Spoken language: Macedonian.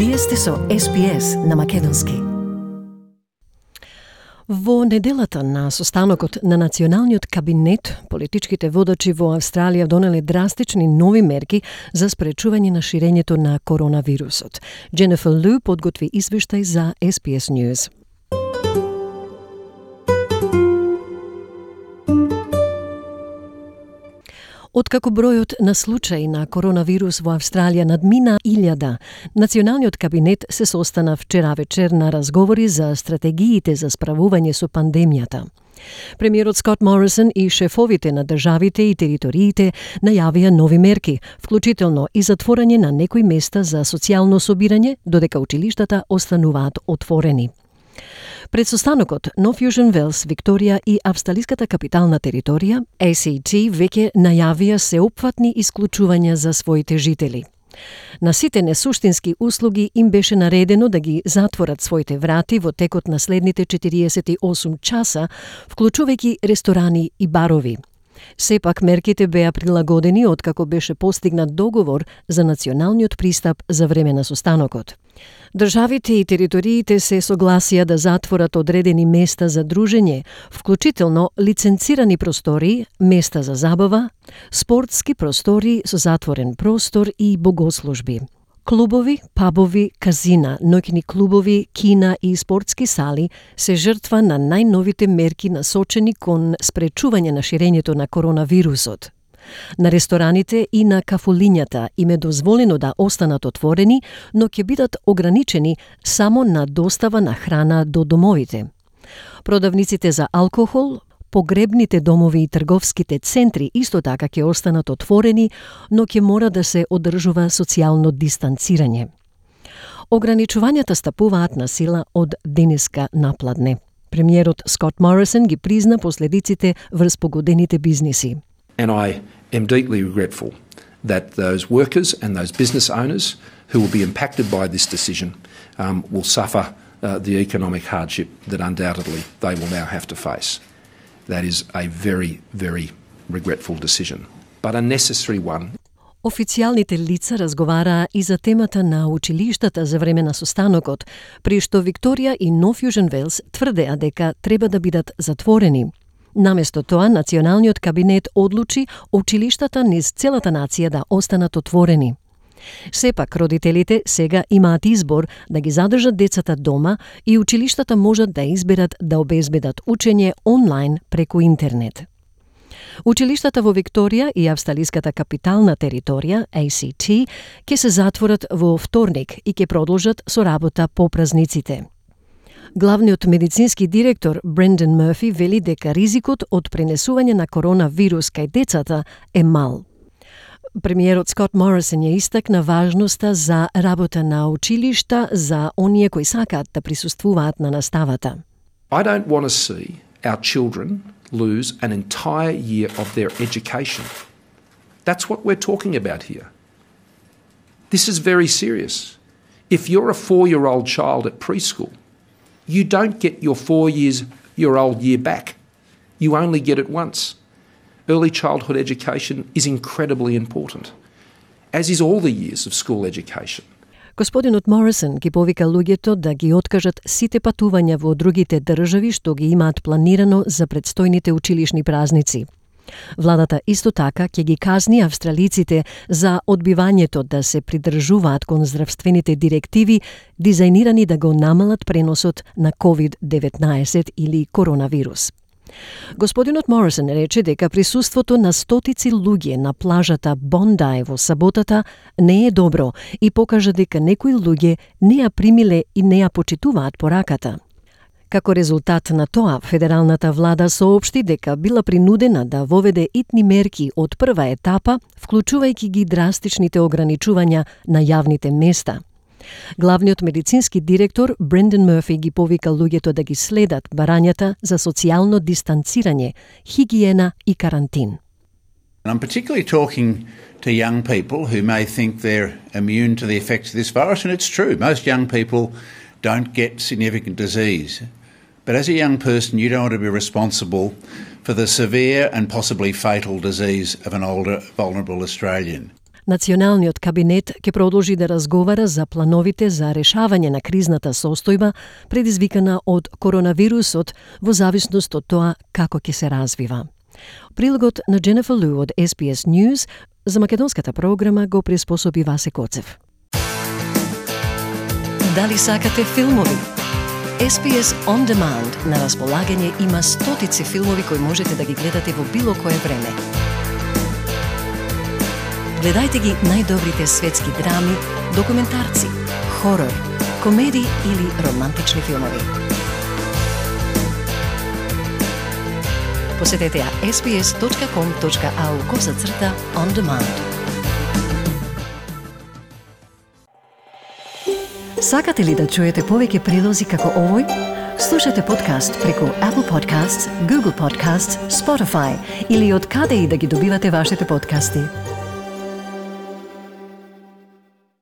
Вие сте со SPS на македонски. Во неделата на состанокот на Националниот кабинет, политичките водачи во Австралија донеле драстични нови мерки за спречување на ширењето на коронавирусот. Дженефер Лу подготви извештај за SPS News. Откако бројот на случаи на коронавирус во Австралија надмина 1000, Националниот кабинет се состана вчера вечер на разговори за стратегиите за справување со пандемијата. Премиерот Скот Морисон и шефовите на државите и териториите најавија нови мерки, вклучително и затворање на некои места за социјално собирање, додека училиштата остануваат отворени. Пред состанокот, Нов Јужен Велс, Викторија и австралиската капитална територија, ACT, веќе најавија сеопфатни исклучувања за своите жители. На сите несуштински услуги им беше наредено да ги затворат своите врати во текот на следните 48 часа, вклучувајќи ресторани и барови. Сепак мерките беа прилагодени откако беше постигнат договор за националниот пристап за време на состанокот. Државите и териториите се согласија да затворат одредени места за дружење, вклучително лиценцирани простори, места за забава, спортски простори со затворен простор и богослужби. Клубови, пабови, казина, ноќни клубови, кина и спортски сали се жртва на најновите мерки насочени кон спречување на ширењето на коронавирусот. На рестораните и на кафулињата им е дозволено да останат отворени, но ќе бидат ограничени само на достава на храна до домовите. Продавниците за алкохол, погребните домови и трговските центри исто така ќе останат отворени, но ќе мора да се одржува социјално дистанцирање. Ограничувањата стапуваат на сила од денеска напладне. Премиерот Скот Морисон ги призна последиците врз погодените бизниси. And I am deeply regretful that those workers and those business owners who will be impacted by this decision will suffer the economic hardship that undoubtedly they will now have to face. That is a very, very regretful decision, but a necessary one. Официјалните лица разговараа и за темата на училиштата за време на состанокот, при што Викторија и Нов Јужен Велс тврдеа дека треба да бидат затворени. Наместо тоа, Националниот кабинет одлучи училиштата низ целата нација да останат отворени. Сепак, родителите сега имаат избор да ги задржат децата дома и училиштата можат да изберат да обезбедат учење онлайн преку интернет. Училиштата во Викторија и австралиската капитална територија, ACT, ќе се затворат во вторник и ќе продолжат со работа по празниците. Главниот медицински директор Брендан Мърфи вели дека ризикот од пренесување на коронавирус кај децата е мал. Премиерот Скот Морисон ја истакна важноста за работа на училишта за оние кои сакаат да присуствуваат на наставата. I don't want to see our children lose an entire year of their education. That's what we're talking about here. This is very serious. If you're a 4-year-old child at preschool, you don't get your 4-year-old year back. You only get it once. Early childhood education is incredibly important, as is all the years of school education. Господинот Морисон ги повика луѓето да ги откажат сите патувања во другите држави што ги имаат планирано за предстојните училишни празници. Владата исто така ќе ги казни австралиците за одбивањето да се придржуваат кон здравствените директиви дизајнирани да го намалат преносот на COVID-19 или коронавирус. Господинот Морисон рече дека присуството на стотици луѓе на плажата Бондај во саботата не е добро и покажа дека некои луѓе не ја примиле и не ја почитуваат пораката. Како резултат на тоа, федералната влада соопшти дека била принудена да воведе итни мерки од прва етапа, вклучувајќи ги драстичните ограничувања на јавните места. Главниот медицински директор Брендан Мърфи ги повика луѓето да ги следат барањата за социјално дистанцирање, хигиена и карантин. I'm particularly talking to young people who may think they're immune to the effects of this virus, and it's true. Most young people don't get significant disease. But as a young person, you don't want to be responsible for the severe and possibly fatal disease of an older, vulnerable Australian. Националниот кабинет ќе продолжи да разговара за плановите за решавање на кризната состојба предизвикана од коронавирусот во зависност од тоа како ќе се развива. Прилогот на Дженефер Лу од SBS News за македонската програма го приспособи Васе Коцев. Дали сакате филмови? SBS On Demand на располагање има стотици филмови кои можете да ги гледате во било кое време. Гледајте ги најдобрите светски драми, документарци, хорор, комедии или романтични филмови. Посетете ја sbs.com.au/on demand. Сакате ли да чуете повеќе прилози како овој? Слушате подкаст преку Apple Podcasts, Google Podcasts, Spotify или од каде и да ги добивате вашите подкасти.